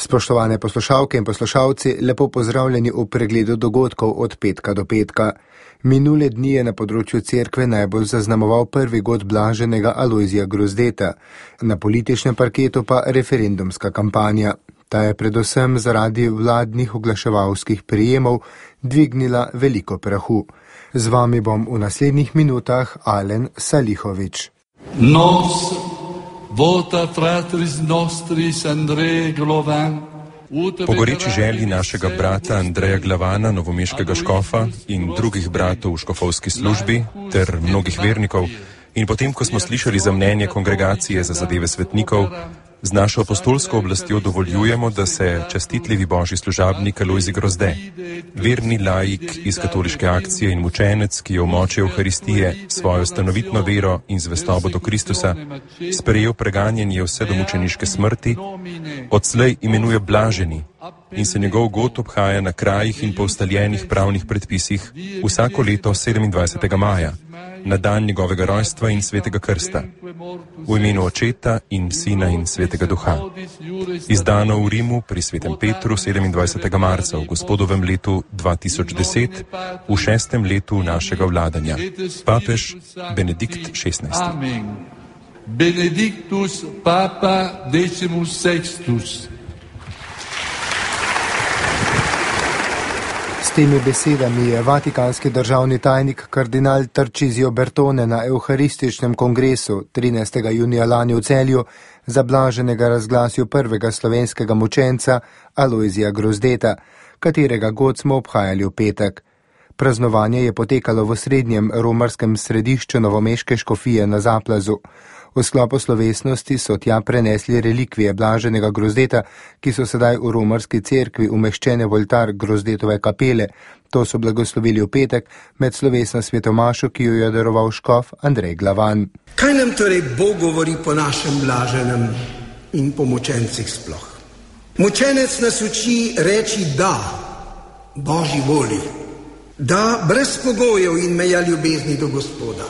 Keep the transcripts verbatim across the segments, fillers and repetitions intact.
Spoštovane poslušalke in poslušalci, lepo pozdravljeni v pregledu dogodkov od petka do petka. Minule dni je na področju cerkve najbolj zaznamoval prvi god blaženega Alojzija Grozdeta, na političnem parketu pa referendumska kampanja. Ta je predvsem zaradi vladnih oglaševalskih prijemov dvignila veliko prahu. Z vami bom v naslednjih minutah Alen Salihovič. Nos vota fratris nostris Andrej Glovan. Po goreči želji našega brata Andreja Glavana, novomeškega škofa in drugih bratov v škofovski službi ter mnogih vernikov in potem, ko smo slišali za mnenje kongregacije za zadeve svetnikov, z našo apostolsko oblastjo dovoljujemo, da se častitljivi božji služabnik Alojzij Grozde, verni laik iz katoliške akcije in mučenec, ki je v moči Evharistije svojo stanovitno vero in zvestobo do Kristusa sprejel preganjanje vse do mučeniške smrti, odslej imenuje blaženi in se njegov god obhaja na krajih in po ustaljenih pravnih predpisih vsako leto sedemindvajsetega maja, na dan njegovega rojstva in svetega krsta, v imenu Očeta in Sina in Svetega Duha. Izdano v Rimu pri svetem Petru sedemindvajsetega marca v gospodovem letu dva tisoč deset, v šestem letu našega vladanja. Papež Benedikt šestnajsti. Benedictus Papa decimus sextus. S temi besedami je vatikanski državni tajnik kardinal Tarcisio Bertone na Evharističnem kongresu trinajstega junija lani v Celju za blaženega razglasil prvega slovenskega mučenca Alojzija Grozdeta, katerega god smo obhajali v petek. Praznovanje je potekalo v srednjem romarskem središču novomeške škofije na Zaplazu. V sklopu slovesnosti so tja prenesli relikvije blaženega Grozdeta, ki so sedaj v romarski cerkvi umeščene v oltar Grozdetove kapele. To so blagoslovili v petek med slovesno svetomašo, ki jo je daroval škof Andrej Glavan. Kaj nam torej Bog govori po našem blaženem in po mučencih sploh? Mučenec nas uči reči da Božji voli, da brez pogojev in meja ljubezni do Gospoda.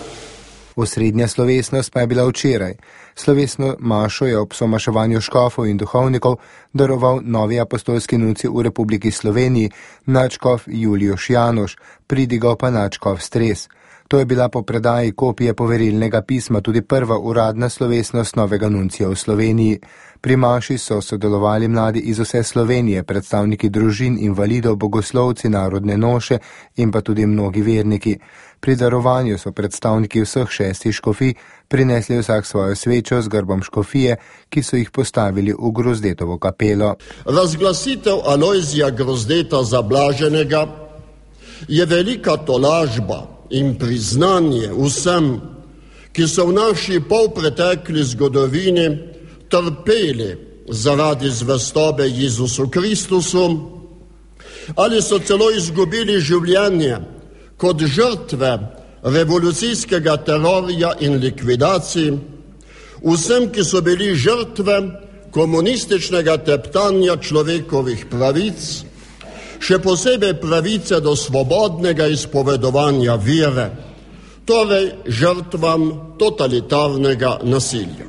Osrednja slovesnost pa je bila včeraj. Slovesno mašo je ob somaševanju škofov in duhovnikov daroval novi apostolski nuncij v Republiki Sloveniji, nadškof Julijoš Janoš, pridigal pa nadškof Stres. To je bila po predaji kopije poverilnega pisma tudi prva uradna slovesnost novega nuncija v Sloveniji. Pri maši so sodelovali mladi iz vse Slovenije, predstavniki družin, invalidov, bogoslovci, narodne noše in pa tudi mnogi verniki. Pri darovanju so predstavniki vseh šestih škofij prinesli vsak svojo svečo z grbom škofije, ki so jih postavili v Grozdetovo kapelo. Razglasitev Alojzija Grozdeta za blaženega je velika tolažba in priznanje vsem, ki so v naši polpretekli zgodovini trpeli zaradi zvestobe Jezusu Kristusu ali so celo izgubili življenje kot žrtve revolucijskega terorja in likvidacij, vsem, ki so bili žrtve komunističnega teptanja človekovih pravic, še posebej pravice do svobodnega izpovedovanja vere, torej žrtvam totalitarnega nasilja.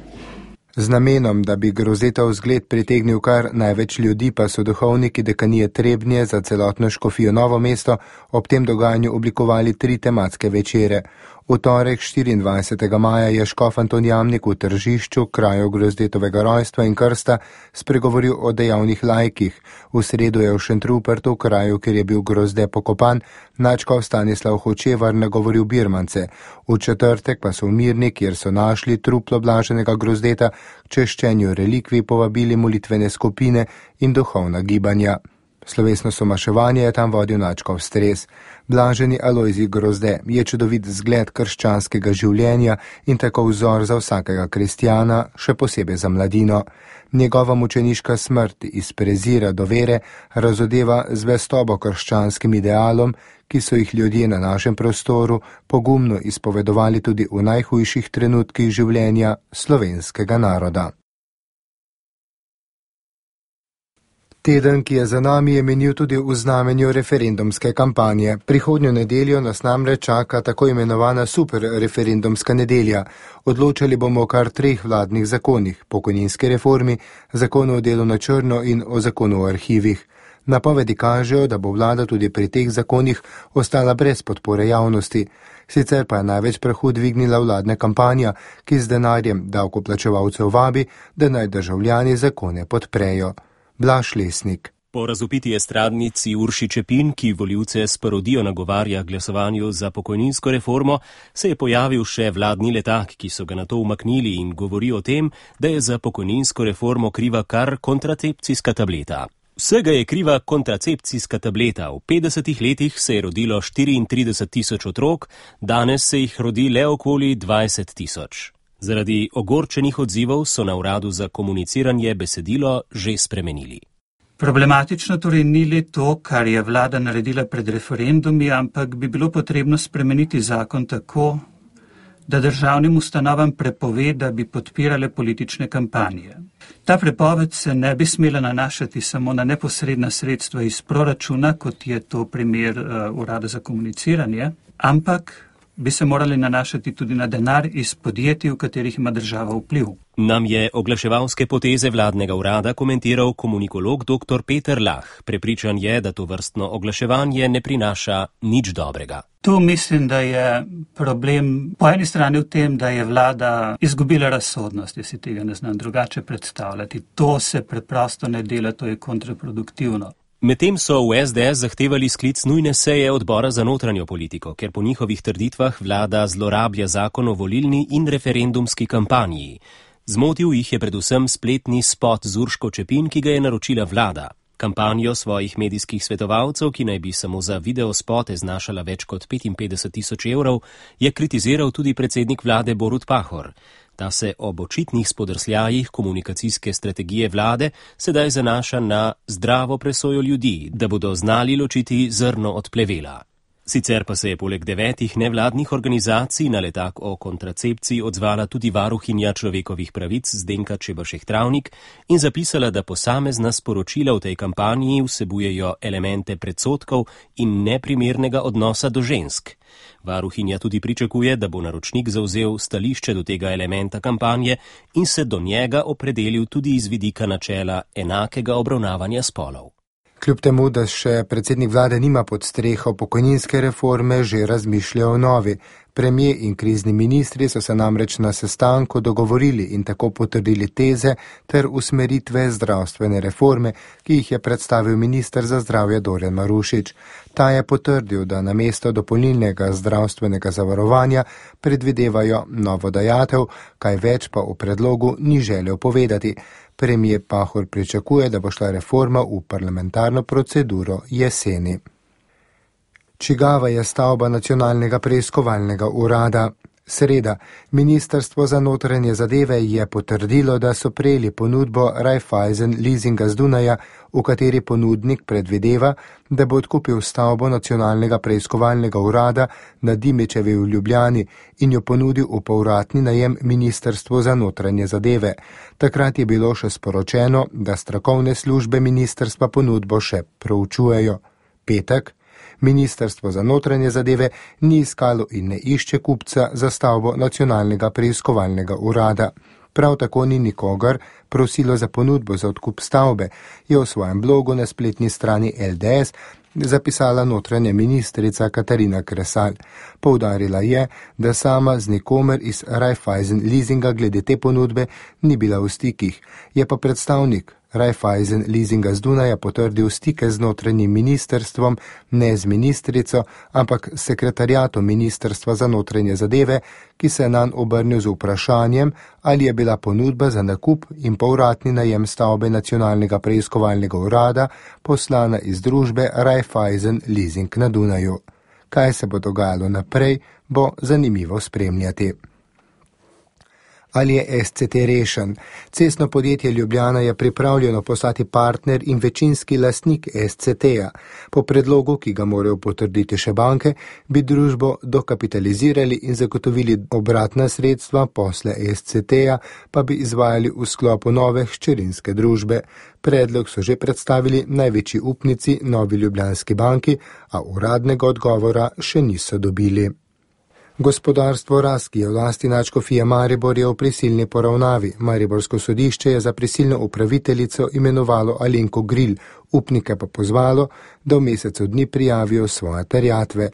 Z namenom, da bi Grozdetov zgled pritegnil kar največ ljudi, pa so duhovniki dekanije Trebnje za celotno škofijo Novo mesto ob tem dogajanju oblikovali tri tematske večere. V torek štiriindvajsetega maja je škof Anton Jamnik v Tržišču, kraju Grozdetovega rojstva in krsta, spregovoril o dejavnih laikih. V sredo je v Šentrupertu, kraju, kjer je bil Grozde pokopan, nadškof Stanislav Hočevar nagovoril birmance. V četrtek pa so v Mirni, kjer so našli truplo blaženega Grozdeta, k češčenju relikvij povabili molitvene skupine in duhovna gibanja. Slovesno somaševanje je tam vodil nadškof Stres. Blaženi Alojzij Grozde je čudovit zgled krščanskega življenja in tako vzor za vsakega kristjana, še posebej za mladino. Njegova mučeniška smrt iz prezira do vere razodeva zvestobo krščanskim idealom, ki so jih ljudje na našem prostoru pogumno izpovedovali tudi v najhujših trenutkih življenja slovenskega naroda. Teden, ki je za nami, je menil tudi v znamenju referendumske kampanje. Prihodnjo nedeljo nas namreč čaka tako imenovana super referendumska nedelja. Odločali bomo o kar treh vladnih zakonih, pokojninski reformi, zakonu o delu na črno in o zakonu o arhivih. Napovedi kažejo, da bo vlada tudi pri teh zakonih ostala brez podpore javnosti. Sicer pa je največ prahu dvignila vladna kampanja, ki z denarjem davkoplačevalcev vabi, da naj državljani zakone podprejo. Blaž Lesnik. Po razvpiti estradnici Urši Čepin, ki volivce s parodijo nagovarja glasovanju za pokojninsko reformo, se je pojavil še vladni letak, ki so ga nato umaknili in govori o tem, da je za pokojninsko reformo kriva kar kontracepcijska tableta. Vsega je kriva kontracepcijska tableta. V petdesetih letih se je rodilo štiriintrideset tisoč otrok, danes se jih rodi le okoli dvajset tisoč. Zaradi ogorčenih odzivov so na uradu za komuniciranje besedilo že spremenili. Problematično torej ni le to, kar je vlada naredila pred referendumi, ampak bi bilo potrebno spremeniti zakon tako, da državnim ustanovam prepove, da bi podpirale politične kampanje. Ta prepoved se ne bi smela nanašati samo na neposredna sredstva iz proračuna, kot je to primer uh, urada za komuniciranje, ampak bi se morali nanašati tudi na denar iz podjetij, v katerih ima država vpliv. Nam je oglaševalske poteze vladnega urada komentiral komunikolog dr. Peter Lah. Prepričan je, da to vrstno oglaševanje ne prinaša nič dobrega. Tu mislim, da je problem po eni strani v tem, da je vlada izgubila razsodnost, jaz si tega ne znam drugače predstavljati. To se preprosto ne dela, to je kontraproduktivno. Medtem so v es de es zahtevali sklic nujne seje odbora za notranjo politiko, ker po njihovih trditvah vlada zlorablja zakon o volilni in referendumski kampanji. Zmotil jih je predvsem spletni spot z Urško Čepin, ki ga je naročila vlada. Kampanjo svojih medijskih svetovalcev, ki naj bi samo za videospote znašala več kot petinpetdeset tisoč evrov, je kritiziral tudi predsednik vlade Borut Pahor. Ta se ob očitnih spodrsljajih komunikacijske strategije vlade sedaj zanaša na zdravo presojo ljudi, da bodo znali ločiti zrno od plevela. Sicer pa se je poleg devetih nevladnih organizacij na letak o kontracepciji odzvala tudi varuhinja človekovih pravic Zdenka Čebašek Travnik in zapisala, da posamezna sporočila v tej kampanji vsebujejo elemente predsodkov in neprimernega odnosa do žensk. Varuhinja tudi pričakuje, da bo naročnik zavzel stališče do tega elementa kampanje in se do njega opredelil tudi iz vidika načela enakega obravnavanja spolov. Kljub temu, da še predsednik vlade nima pod streho pokojninske reforme, že razmišlja o novi. Premijer in krizni ministri so se namreč na sestanku dogovorili in tako potrdili teze ter usmeritve zdravstvene reforme, ki jih je predstavil minister za zdravje Dorjan Marušič. Ta je potrdil, da namesto dopolnilnega zdravstvenega zavarovanja predvidevajo novo dajatev, kaj več pa v predlogu ni želel povedati. Premijer Pahor pričakuje, da bo šla reforma v parlamentarno proceduro jeseni. Čigava je stavba Nacionalnega preiskovalnega urada? Sreda. Ministrstvo za notranje zadeve je potrdilo, da so prejeli ponudbo Raiffeisen leasinga z Dunaja, v kateri ponudnik predvideva, da bo odkupil stavbo Nacionalnega preiskovalnega urada na Dimičevi v Ljubljani in jo ponudil v povratni najem Ministrstvu za notranje zadeve. Takrat je bilo še sporočeno, da strokovne službe ministrstva ponudbo še proučujejo. Petek. Ministrstvo za notranje zadeve ni iskalo in ne išče kupca za stavbo Nacionalnega preiskovalnega urada. Prav tako ni nikogar prosilo za ponudbo za odkup stavbe, je v svojem blogu na spletni strani el de es zapisala notranja ministrica Katarina Kresal. Poudarila je, da sama z nikomer iz Raiffeisen leasinga glede te ponudbe ni bila v stikih, je pa predstavnik Raiffeisen leasinga z Dunaja potrdil stike z notranjim ministrstvom, ne z ministrico, ampak sekretariatom Ministrstva za notranje zadeve, ki se je nanj obrnil z vprašanjem, ali je bila ponudba za nakup in povratni najem stavbe Nacionalnega preiskovalnega urada poslana iz družbe Raiffeisen leasing na Dunaju. Kaj se bo dogajalo naprej, bo zanimivo spremljati. Ali je S C T rešen? Cestno podjetje Ljubljana je pripravljeno postati partner in večinski lastnik S C T-ja. Po predlogu, ki ga morajo potrditi še banke, bi družbo dokapitalizirali in zagotovili obratna sredstva, posle S C T-ja pa bi izvajali v sklopu nove hčerinske družbe. Predlog so že predstavili največji upnici Novi Ljubljanski banki, a uradnega odgovora še niso dobili. Gospodarstvo Rast, ki je v lasti nadškofije Maribor, je v prisilni poravnavi. Mariborsko sodišče je za prisilno upraviteljico imenovalo Alenko Gril, upnike pa pozvalo, da v mesecu dni prijavijo svoje terjatve.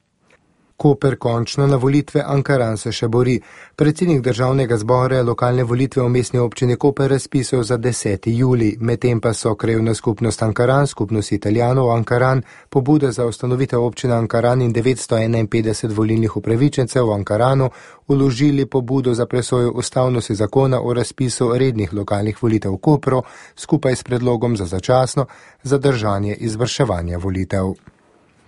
Koper končno na volitve, Ankaran se še bori. Predsednik državnega zbora je lokalne volitve v mestni občini Koper razpisal za deseti julij, medtem pa so krajevna skupnost Ankaran, skupnost Italijanov Ankaran, pobude za ustanovitev občine Ankaran in devetsto enainpetdeset volilnih upravičencev v Ankaranu vložili pobudo za presojo ustavnosti zakona o razpisu rednih lokalnih volitev v Kopru, skupaj s predlogom za začasno zadržanje izvrševanja volitev.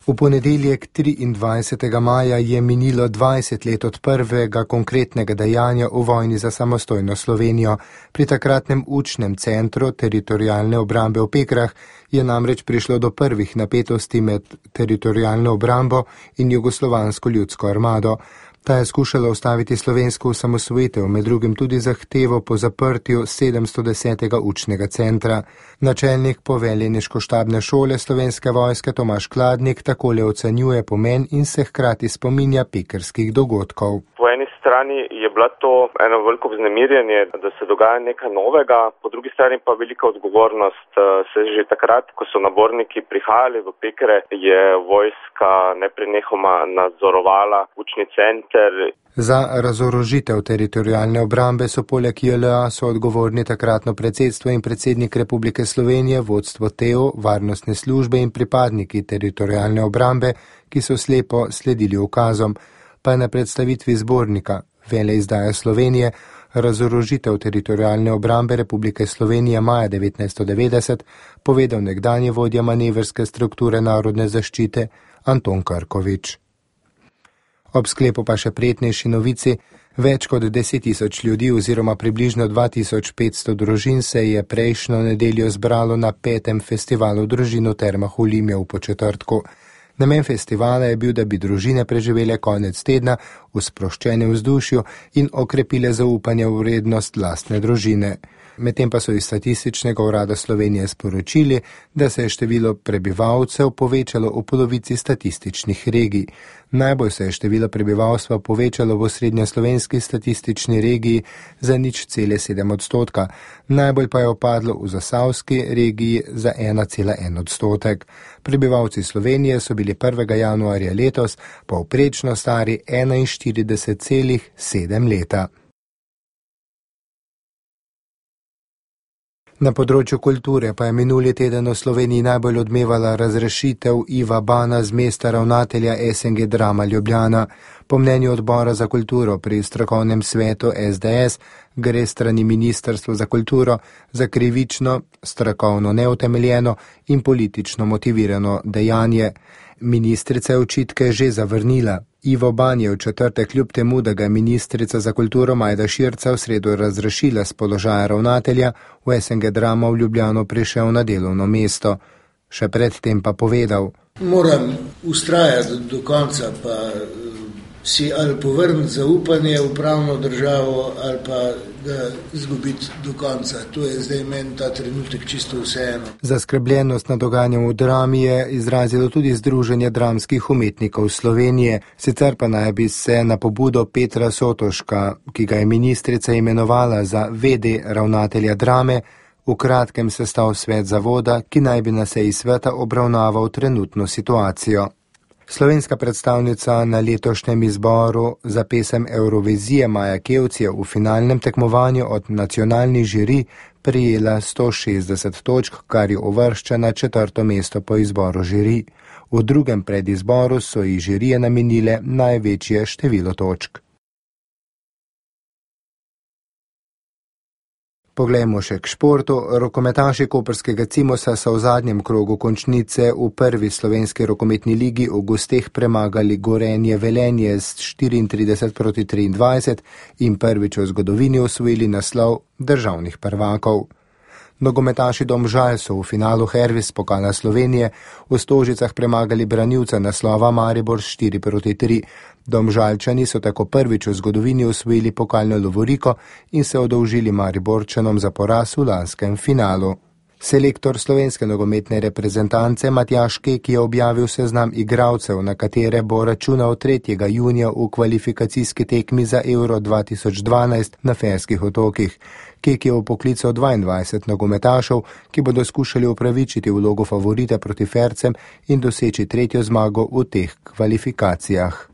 V ponedeljek triindvajsetega maja je minilo dvajset let od prvega konkretnega dejanja v vojni za samostojno Slovenijo. Pri takratnem učnem centru teritorialne obrambe v Pekrah je namreč prišlo do prvih napetosti med teritorialno obrambo in jugoslovansko ljudsko armado. Ta je skušala ustaviti slovensko osamosvojitev, med drugim tudi zahtevo po zaprtju sedemstodesetega učnega centra. Načelnik poveljeniško-štabne šole Slovenske vojske Tomaž Kladnik takole ocenjuje pomen in se hkrati spominja pekrskih dogodkov. Po eni strani je bila to eno veliko vznemirjenje, da se dogaja nekaj novega, po drugi strani pa velika odgovornost. Se že takrat, ko so naborniki prihajali v Pekre, je vojska neprenehoma nadzorovala učni center. Za razorožitev teritorialne obrambe so poleg J L A so odgovorni takratno predsedstvo in predsednik Republike Slovenije, vodstvo T E O, varnostne službe in pripadniki teritorialne obrambe, ki so slepo sledili ukazom. Pa je na predstavitvi zbornika Veleizdaja Slovenije razorožitev teritorialne obrambe Republike Slovenije maja devetnajststo devetdeset povedal nekdanji vodja manevrske strukture narodne zaščite Anton Krkovič. Ob sklepu pa še prijetnejši novici, več kot deset tisoč ljudi oziroma približno dva tisoč petsto družin se je prejšnjo nedeljo zbralo na petem festivalu družin v Termah v Limju v Podčetrtku. Namen festivala je bil, da bi družine preživele konec tedna v sproščenem vzdušju in okrepile zaupanje v vrednost lastne družine. Medtem pa so iz Statističnega urada Slovenije sporočili, da se je število prebivalcev povečalo v polovici statističnih regij. Najbolj se je število prebivalstva povečalo v srednjeslovenski statistični regiji za nič cele sedem odstotka, najbolj pa je opadlo v zasavski regiji za ena cela en odstotek. Prebivalci Slovenije so bili prvega januarja letos povprečno stari enainštirideset celih sedem leta. Na področju kulture pa je minuli teden v Sloveniji najbolj odmevala razrešitev Iva Bana z mesta ravnatelja S N G Drama Ljubljana. Po mnenju odbora za kulturo pri strokovnem svetu S D S gre strani Ministrstva za kulturo za krivično, strokovno neutemeljeno in politično motivirano dejanje. Ministrica je očitke že zavrnila. Ivo Ban je v četrtek kljub temu, da ga je ministrica za kulturo Majda Širca v sredo razrešila z položaja ravnatelja, v S N G Drama v Ljubljano prišel na delovno mesto. Še predtem pa povedal: Moram ustrajati do konca, pa si ali povrniti zaupanje v pravno državo ali pa ga izgubiti do konca. To je zdaj meni ta trenutek čisto vseeno. Zaskrbljenost nad dogajanjem v drami je izrazilo tudi Združenje dramskih umetnikov Slovenije. Sicer pa naj bi se na pobudo Petra Sotoška, ki ga je ministrica imenovala za V D ravnatelja drame, v kratkem sestal svet zavoda, ki naj bi na seji sveta obravnaval trenutno situacijo. Slovenska predstavnica na letošnjem izboru za pesem Eurovizije Maja Kevc je v finalnem tekmovanju od nacionalnih žiri prijela sto šestdeset točk, kar je uvršča na četrto mesto po izboru žiri. V drugem predizboru so ji žirije namenile največje število točk. Poglejmo še k športu. Rokometaši koprskega Cimosa so v zadnjem krogu končnice v prvi slovenski rokometni ligi v gosteh premagali Gorenje Velenje z štiriintrideset proti triindvajset in prvič v zgodovini osvojili naslov državnih prvakov. Nogometaši Domžal so v finalu Hervis pokala Slovenije v Stožicah premagali branilca naslova Maribor štiri proti tri. Domžalčani so tako prvič v zgodovini osvojili pokalno lovoriko in se odolžili Mariborčanom za poraz v lanskem finalu. Selektor slovenske nogometne reprezentance Matjaž Kek je objavil seznam igralcev, na katere bo računal tretjega junija v kvalifikacijski tekmi za Euro dva tisoč dvanajst na Ferskih otokih. Kek je vpoklical dvaindvajset nogometašev, ki bodo skušali upravičiti vlogo favorita proti Fercem in doseči tretjo zmago v teh kvalifikacijah.